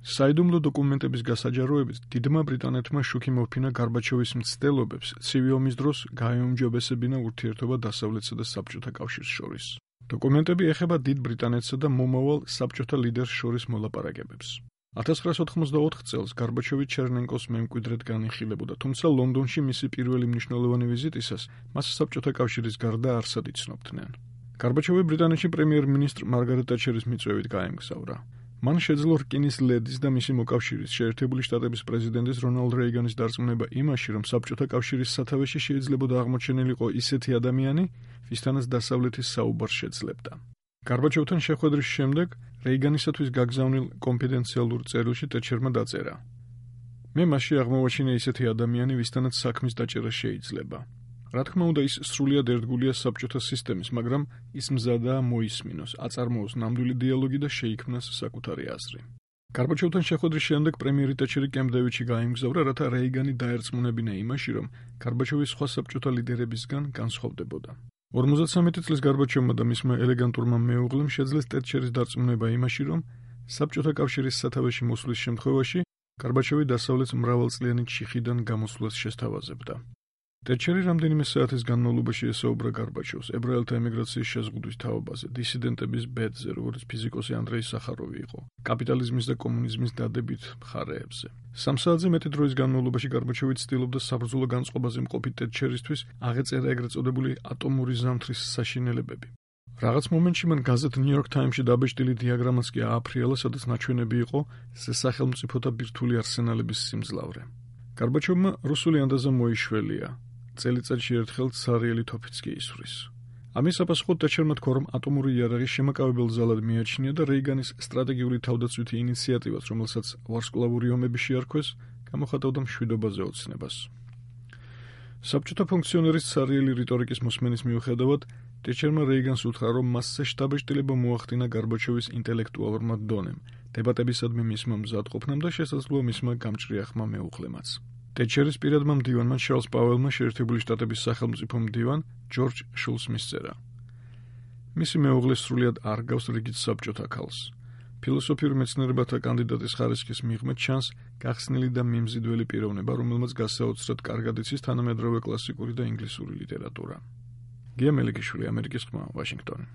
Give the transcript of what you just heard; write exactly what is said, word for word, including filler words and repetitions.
საიდუმლო დოკუმენტების გასაჯაროებით დიდმა ბრიტანეთმა შუქი მოფინა გარბაჩოვის მცდელობებს ცივი ომის დროს გაეუმჯობესებინა ურთიერთობა დასავლეთსა და საბჭოთა კავშირს შორის. დოკუმენტები ეხება დიდ ბრიტანეთსა და მომავალ საბჭოთა ლიდერს შორის მოლაპარაკებებს. ათას ცხრაასი ოთხმოცდაოთხ წელს გარბაჩოვი ჩერნენკოს მემკვიდრედ განიხილებოდა, თუმცა ლონდონში მისი პირველი მნიშვნელოვანი ვიზიტისას მას საბჭოთა კავშირის გარდა არსად იცნობდნენ. გარბაჩოვი ბრიტანეთში პრემიერ-მინისტრ მარგარეტ ტაჩერის მიწვევით გაემგზავრა. მან შეძლო რკინის ლედის და მისი მოკავშირის შეერთებული შტატების პრეზიდენტის რონალდ რეიგანის დარწმუნება იმაში, რომ საბჭოთა კავშირის სათავეში შეიძლებოდა აღმოჩენილიყო ისეთი ადამიანი, ვისთანაც დასავლეთის საუბარს შეძლებდა. გარბაჩოვთან შეხვედრის შემდეგ რეიგანისათვის გაგზავნილ კონფიდენციალურ წერილში ტეჩერმა დაწერა: მე მასში აღმოვაჩინე ისეთი ადამიანი, ვისთანაც საქმის დაჭერა შეიძლება. რა თქმა უნდა, ის სრულიად ერთგულია საბჭოთა სისტემის, მაგრამ ის მზადაა მოისმინოს, აწარმოოს ნამდვილი დიალოგი და შეიქმნას საკუთარი აზრი. გარბაჩოვთან შეხვედრის შემდეგ პრემიერი ტაჩერი კემპ-დევიდში გაემგზავრა, რათა რეიგანი დაერწმუნებინა იმაში, რომ გარბაჩოვი სხვა საბჭოთა ლიდერებისგან განსხვავდებოდა. ორმოცდასამეტი წლის გარბაჩოვმა და მისმა ელეგანტურმა მეუღლემ შეძლეს ტეჩერის დარწმუნება იმაში, რომ საბჭოთა კავშირის სათავეში მოსვლის შემთხვევაში გარბაჩოვი დასავლეთს მრავალწლიანი ჩიხიდან გამოსვლას შესთავაზებდა. ტეჩერი რამდენიმე საათის განმავლობაში ესაუბრა გარბაჩოვს ებრაელთა ემიგრაციის შეზღუდვის თაობაზე, დისიდენტების ბედზე, როგორც ფიზიკოსი ანდრეი სახაროვი იყო, კაპიტალიზმის და კომუნიზმის დადებით მხარეებზე. სამ საათზე მეტი დროის განმავლობაში გარბაჩოვი ცდილობდა საბრძოლო განწყობაზე მყოფი ტეჩერისთვის აღეწერა ეგრეთ წოდებული ატომური ზამთრის საშინელებები. რაღაც მომენტში მან გაზეთ ნიუ-იორკ ტაიმსში დაბეჭდილი დიაგრამაც კი ააფრიალა, სადაც ნაჩვენები იყო სახელმწიფოთა ბირთვული არსენალების სიმძლავრე. გარბაჩოვმა რუსული ანდაზა მოიშველია. წელიწადში ერთხელ ცარიელი თოფიც კი ისვრის. ამის საპასუხოდ ტეჩერმა თქვა, რომ ატომური იარაღი შემაკავებელ ზალად მიაჩნია და რეიგანის სტრატეგიული თავდაცვითი ინიციატივას, რომელსაც ვარსკვლავური ომები შეარქვეს, გამოხატავდა მშვიდობაზე ოცნებას. საბჭოთა ფუნქციონერის ცარიელი რიტორიკის მოსმენის მიუხედავად, ტეჩერმა რეიგანს უთხრა, რომ მასზე შთაბეჭდილება მოახდინა გარბაჩოვის ინტელექტუალურმა დონემ, დებატებისადმი მისმა მზადყოფნამ და შესაძლოა მისმა გამჭრიახმა მეუღლემაც. ტეჩერის პირადმა მდივანმა ჩარლზ პაუელმა შეერთებული შტატების სახელმწიფო მდივან ჯორჯ შულცს მისწერა. მისი მეუღლე სრულიად არ გავს რიგით საბჭოთა ქალს. ფილოსოფიურ მეცნიერებათა კანდიდატის ხარისხის მიღმედ ჩანს გახსნილი და მიმზიდველი პიროვნება, რომელმაც გასაოცრად კარგად იცის თანამედროვე კლასიკური და ინგლისური ლიტერატურა. გია მელიქიშვილი, ამერიკის ხმა, ვაშინგტონი.